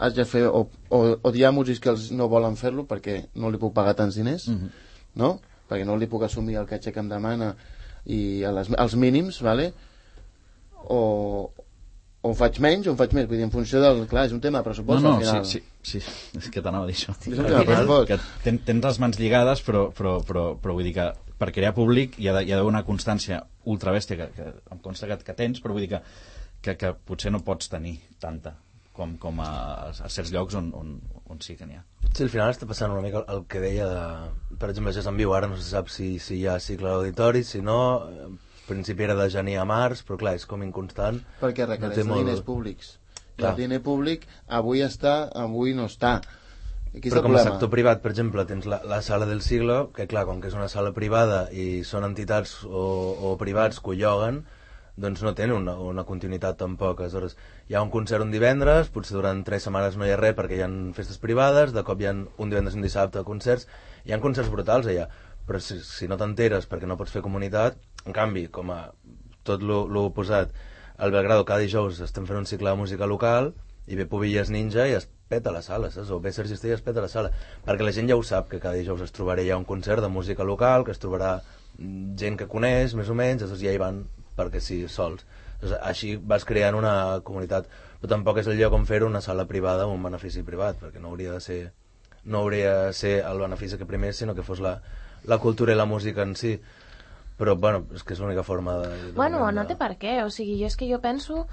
has de fer... O, o, o hi ha músics que els no volen fer-lo perquè no li puc pagar tants diners, mm-hmm. no? Perquè no li puc assumir el caché que em demana i a les, als mínims, vale? o, o faig menys o en faig més, vull dir, en funció del... Clar, és un tema de pressupost, no, no, al final. Sí, sí, sí, és que t'anava a dir això. Sí, és un tema de pressupost. Que ten, tens les mans lligades, però, però, però, però vull dir que per crear públic hi ha d'haver una constància ultrabèstia que, que em consta que, que tens, però vull dir que, que, que potser no pots tenir tanta com, com a, a certs llocs on, on, on sí que n'hi ha. Sí, al final està passant una mica el que deia de, per exemple, això és en viu, ara no se sap si, si hi ha cicle d'auditori, si no, en principi era de gener a març, però clar, és com inconstant. Perquè requereix no molt... diners públics. Clar. El diner públic avui està, avui no està. Aquí però com a sector privat, per exemple, tens la, la sala del siglo, que clar, com que és una sala privada i són entitats o, o privats que ho lloguen, doncs no tenen una, una continuïtat tampoc. Aleshores, hi ha un concert un divendres, potser durant tres setmanes no hi ha res perquè hi ha festes privades, de cop hi ha un divendres i un dissabte concerts, hi ha concerts brutals allà, però si, si no t'enteres perquè no pots fer comunitat, en canvi, com a tot l'oposat, al Belgrado cada dijous estem fent un cicle de música local i ve Pubilles Ninja i es peta la sala, saps? O ve Sergi Estella i es peta la sala, perquè la gent ja ho sap que cada dijous es trobarà ja un concert de música local, que es trobarà gent que coneix, més o menys, llavors ja hi van perquè sí, sols. Llavors, així vas creant una comunitat, però tampoc és el lloc on fer-ho una sala privada o un benefici privat, perquè no hauria de ser no hauria de ser el benefici que primer, sinó que fos la, la cultura i la música en si. Però, bueno, és que és l'única forma de... de bueno, de... no té per què, o sigui, jo és que jo penso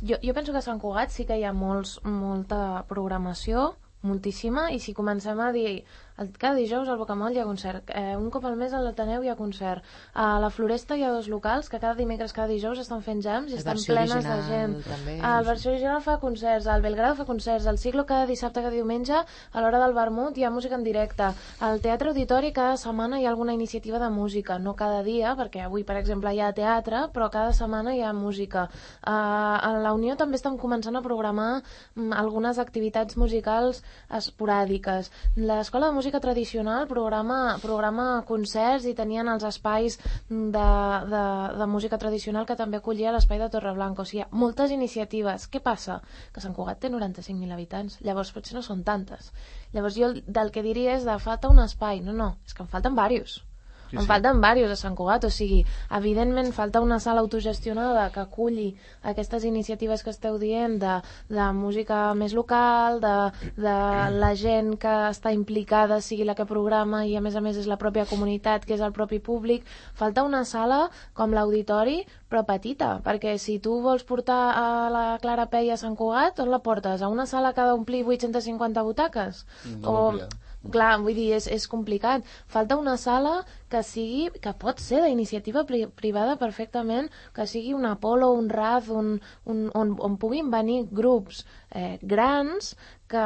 jo, jo penso que a Sant Cugat sí que hi ha molts, molta programació, moltíssima, i si comencem a dir el, cada dijous al Bocamoll hi ha concert, eh, un cop al mes a l'Ateneu hi ha concert, a la Floresta hi ha dos locals que cada dimecres, cada dijous estan fent jams i estan plenes de gent. També, el Versió Original fa concerts, el Belgrado fa concerts, el Siglo cada dissabte, cada diumenge a l'hora del vermut hi ha música en directe, al Teatre Auditori cada setmana hi ha alguna iniciativa de música, no cada dia, perquè avui per exemple hi ha teatre, però cada setmana hi ha música. Uh, a la Unió també estan començant a programar um, algunes activitats musicals esporàdiques. L'Escola de Música Tradicional programa, programa concerts i tenien els espais de, de, de música tradicional que també acollia l'espai de Torreblanca. O sigui, hi ha moltes iniciatives. Què passa? Que Sant Cugat té noranta-cinc mil habitants. Llavors potser no són tantes. Llavors jo del que diria és de falta un espai. No, no, és que en falten diversos. Sí, en sí. falten diversos a Sant Cugat, o sigui, evidentment falta una sala autogestionada que aculli aquestes iniciatives que esteu dient de, de música més local, de, de la gent que està implicada sigui la que programa i a més a més és la pròpia comunitat, que és el propi públic. Falta una sala com l'Auditori, però petita, perquè si tu vols portar a la Clara Pei a Sant Cugat, on la portes? A una sala que ha d'omplir vuit-centes cinquanta butaques? No, o... Clar, vull dir, és, és complicat. Falta una sala que sigui, que pot ser d'iniciativa pri privada perfectament, que sigui un Apolo, un Raz, un, un, on, on puguin venir grups eh, grans que,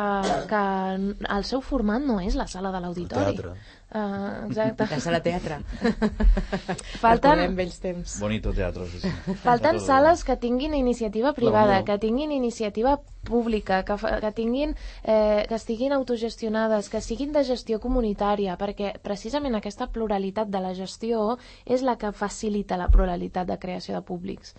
que el seu format no és la sala de l'auditori. Uh, exacte. La sala teatre. Falten... Recordem vells temps. Bonito teatre, sí, sí. Falten sales que tinguin iniciativa privada, Unió. que tinguin iniciativa pública, que, fa, que tinguin eh, que estiguin autogestionades, que siguin de gestió comunitària, perquè precisament aquesta pluralitat de la gestió és la que facilita la pluralitat de creació de públics.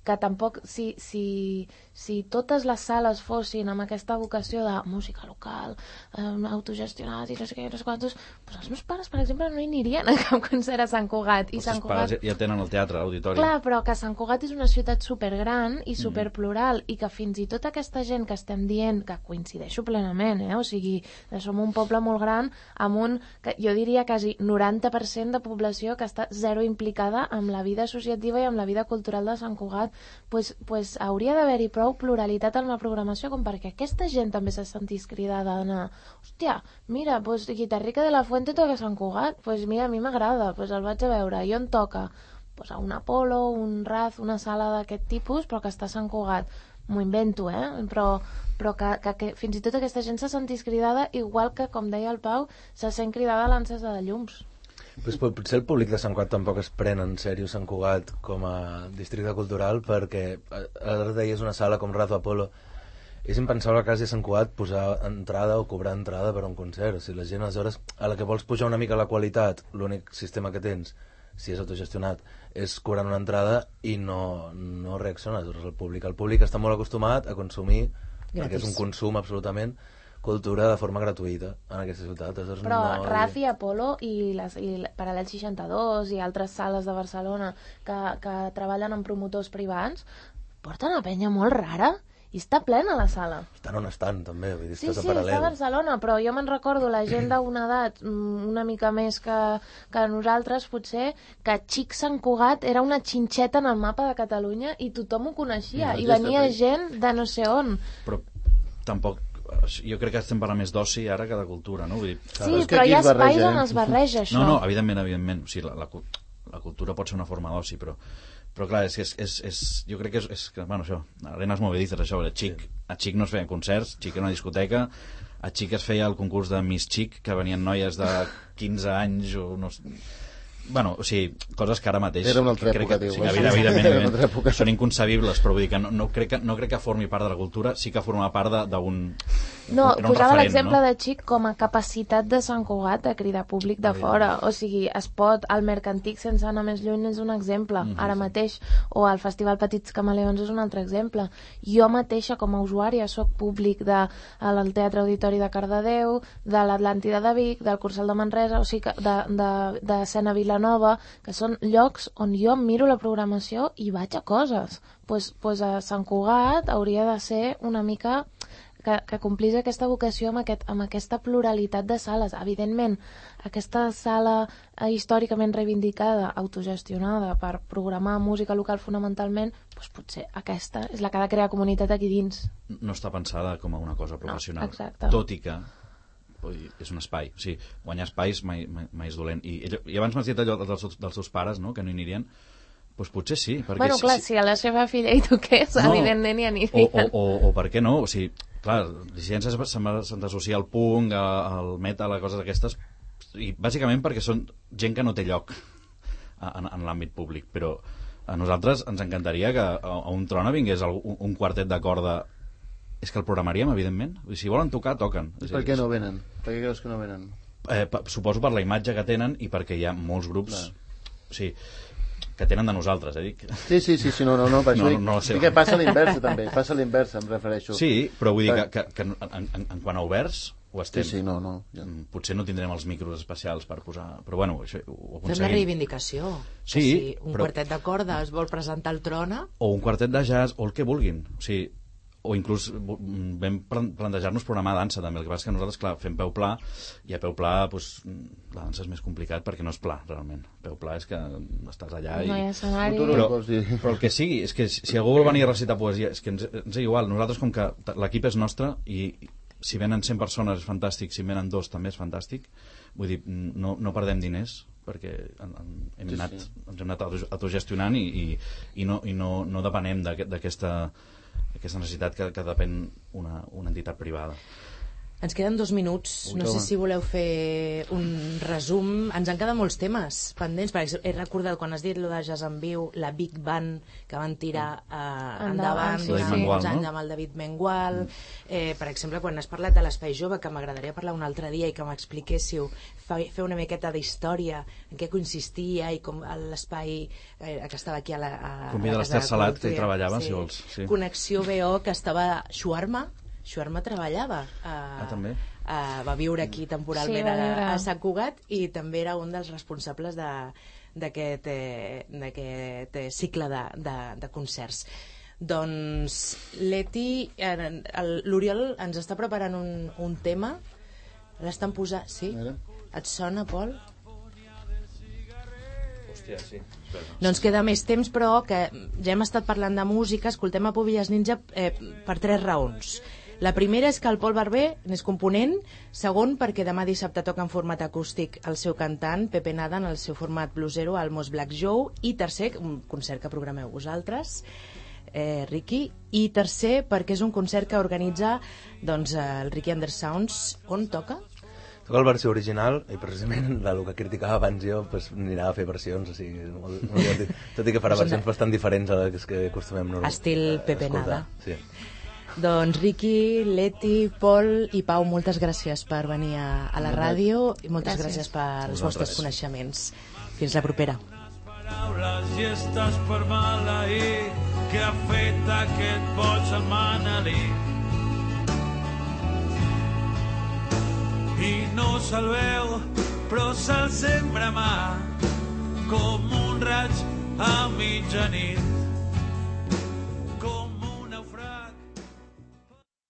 Que tampoc, si, si, si totes les sales fossin amb aquesta vocació de música local, eh, autogestionat i no sé què, no sé quantos, doncs els meus pares, per exemple, no hi anirien a cap concert a Sant Cugat. I Els Sant teus pares Cugat... ja tenen el teatre, l'auditori. Clar, però que Sant Cugat és una ciutat supergran i superplural, mm. i que fins i tot aquesta gent que estem dient, que coincideixo plenament, eh? O sigui, som un poble molt gran amb un, que jo diria quasi noranta per cent de població que està zero implicada amb la vida associativa i amb la vida cultural de Sant Cugat, pues, pues hauria d'haver-hi prou pluralitat en la programació com perquè aquesta gent també se sentís cridada a anar, hòstia, mira, pues Guitarrica de la Fuente toca a Sant Cugat, pues mira, a mi m'agrada, pues el vaig a veure, i on toca? Pues a un Apolo, un Raz, una sala d'aquest tipus, però que està a Sant Cugat. M'ho invento, eh? Però, però que, que, que fins i tot aquesta gent se sentís cridada, igual que, com deia el Pau, se sent cridada a l'encesa de llums. Pues, potser el públic de Sant Cugat tampoc es pren en sèrio Sant Cugat com a districte cultural, perquè ara deies una sala com Raz o Apolo, és impensable a casa de Sant Cugat posar entrada o cobrar entrada per a un concert. O sigui, la gent aleshores a la que vols pujar una mica la qualitat, l'únic sistema que tens, si és autogestionat, és cobrant una entrada i no, no reacciona el públic. El públic està molt acostumat a consumir, gratis, perquè és un consum absolutament, cultura de forma gratuïta en aquesta ciutat. Però no... Raz i Apolo i, les, i Paral·lel seixanta-dos i altres sales de Barcelona que, que treballen amb promotors privats porten a penya molt rara i està plena la sala. Estan on estan, també. Vull dir, sí, sí, està està a Barcelona, però jo me'n recordo la gent d'una edat una mica més que, que nosaltres, potser, que Xic Sant Cugat era una xinxeta en el mapa de Catalunya i tothom ho coneixia, i venia gent de no sé on. Però tampoc... Jo crec que estem parlant més d'oci ara que de cultura, no? Vull dir, sí, però hi ha espais on es barreja això. No, no, evidentment, evidentment. O sigui, la, la, la cultura pot ser una forma d'oci, però, però clar, és, és, és, és, jo crec que és, és que, bueno, això, arenes movedizes, això, a Xic, a Xic no es feien concerts, Xic era una discoteca, a Xic es feia el concurs de Miss Xic, que venien noies de quinze anys o no sé... Bueno, o sigui, coses que ara mateix... Era una altra època, que, diu. Sí, evidentment, evidentment, són inconcebibles, però vull dir que no, no, crec que no crec que formi part de la cultura, sí que forma part d'un... No, posava l'exemple, no? De Xic com a capacitat de Sant Cugat de cridar públic de fora. O sigui, es pot... El Mercantic, sense anar més lluny, és un exemple, mm-hmm, ara mateix. O el Festival Petits Camaleons és un altre exemple. Jo mateixa, com a usuària, soc públic del de, Teatre Auditori de Cardedeu, de l'Atlàntida de Vic, del Cursal de Manresa, o sigui, de, de, de Sena Vilanova, que són llocs on jo miro la programació i vaig a coses. Pues, pues a Sant Cugat hauria de ser una mica... Que, que complís aquesta vocació amb, aquest, amb aquesta pluralitat de sales. Evidentment, aquesta sala eh, històricament reivindicada, autogestionada per programar música local fonamentalment, doncs potser aquesta és la que ha de crear comunitat aquí dins. No està pensada com a una cosa professional, no, tot i que és un espai. O sigui, guanyar espais mai, mai, mai és dolent. I, i abans m'has dit allò dels, dels seus pares, no?, que no hi anirien. Doncs potser sí. Perquè bueno, clar, si, si a la seva filla hi toqués, no, evidentment hi anirien. O, o, o, o per què no? O sigui, clar, dissidències se'n associa al punk, al metal, a coses d'aquestes, i bàsicament perquè són gent que no té lloc en, en l'àmbit públic, però a nosaltres ens encantaria que a, a un trona vingués un, un quartet de corda. És que el programaríem, evidentment. Si volen tocar, toquen. Per què no venen? Per què creus que no venen? Eh, suposo per la imatge que tenen i perquè hi ha molts grups... Clar. O sigui, que tenen de nosaltres, eh, dic. Sí, sí, sí, sí no, no, no, per no, això no, no dic, dic que passa a l'inversa, també, passa a l'inversa, em refereixo. Sí, però vull dir que, que, que en, en, en quant a oberts, ho estem. Sí, sí, no, no. Ja. Potser no tindrem els micros especials per posar... Però bueno, això ho aconseguim. Fem la reivindicació. Sí, si un però... quartet de corda es vol presentar al Trona... O un quartet de jazz, o el que vulguin. O sigui, o inclús vam plantejar-nos programar dansa també, el que passa és que nosaltres, clar, fem peu pla i a peu pla, doncs, la dansa és més complicat perquè no és pla, realment. Peu pla és que estàs allà i... No hi ha escenari. Però, però el que sigui, és que si algú vol venir a recitar poesia, és que ens, ens és igual, nosaltres com que l'equip és nostre i si venen cent persones és fantàstic, si venen dos també és fantàstic, vull dir, no, no perdem diners perquè en, en, hem sí, anat, sí. ens hem anat autogestionant i, i, i, no, i no, no depenem d'aquesta aquesta necessitat que, que depèn una, una entitat privada. Ens queden dos minuts. Ui, no sé home. si voleu fer un resum. Ens han quedat molts temes pendents. Per exemple, he recordat quan has dit lo de Jazz en Viu, la Big Band que van tirar eh, endavant sí, durant sí. uns anys amb el David Mengual. Eh, per exemple, quan has parlat de l'Espai Jove, que m'agradaria parlar un altre dia i que m'expliquéssiu, fe- fer una miqueta d'història, en què consistia i com l'espai eh, que estava aquí a la, a, Convida a la l'Ester Casa de Salat, Cultura. que hi treballava, si vols, sí. Connexió B O, que estava Xuarma, Xuarma treballava a, Ah, també? a, va viure aquí temporalment Sí, va a, viure. a Sant Cugat i també era un dels responsables de, d'aquest, eh, d'aquest eh, cicle de, de, de concerts. Doncs Leti, eh, el- l'Oriol ens està preparant un, un tema, l'estan posant... Sí? A veure. Et sona, Pol? Hòstia, sí. Espera. No ens queda més temps, però que ja hem estat parlant de música, escoltem a Pubillas Ninja eh, per tres raons. La primera és que el Pol Barber n'és component, segon perquè demà dissabte toca en format acústic el seu cantant, Pepe Nada, en el seu format bluesero, al Mos Black Joe, i tercer, un concert que programeu vosaltres, eh, Ricky, i tercer perquè és un concert que organitza doncs, el Ricky Under Sounds. On toca? Toca la versió original i precisament del que criticava abans jo pues, anirà a fer versions, o sigui, molt, molt divertit. Tot i que farà versions bastant diferents a les que acostumem normalment. Estil Pepe Nada. Sí. Doncs Ricky, Leti, Pol i Pau, moltes gràcies per venir a, a la ràdio i moltes gràcies, Gràcies. per els Vosaltres. vostres coneixements. Fins la propera. Paraules i estàs per maleir que ha fet aquest boig setmanalí. I no se'l veu, però se'l sembra mà com un raig a mitjanit.